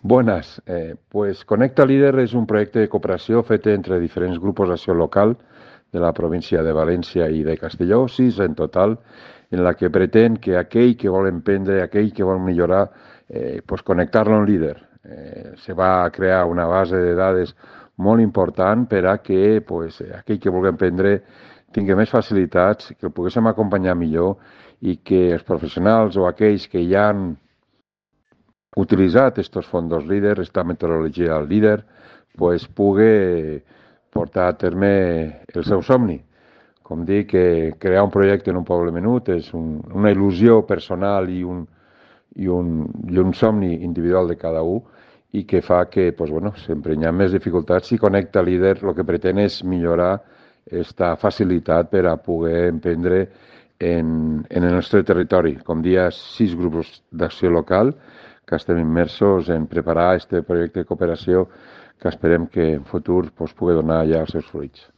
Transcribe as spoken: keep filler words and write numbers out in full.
Buenas, eh, pues Conecta Líder és un projecte de cooperació fet entre diferents grupos d'acció local de la província de València i de Castelló, sis en total, en la que pretén que aquell que vol emprendre, aquell que vol millorar, eh, pues connectar-lo a un líder. Eh, se va crear una base de dades molt important per a que pues, aquell que vulgui emprendre tingui més facilitats, que el poguéssim acompanyar millor i que els professionals o aquells que ja han utilitzat estos fondos líder, esta metodologia líder, pues pugui portar a terme el seu somni. Com dic, que crear un projecte en un poble menut és un, una il·lusió personal i un, i, un, i un somni individual de cada un i que fa que pues, bueno, sempre hi ha més dificultats i Connecta Líder el que pretén és millorar aquesta facilitat per a poder emprendre en, en el nostre territori. Com dia, sis grups d'acció local que estem immersos en preparar aquest projecte de cooperació que esperem que en futur pues, pugui donar ja els seus fruits.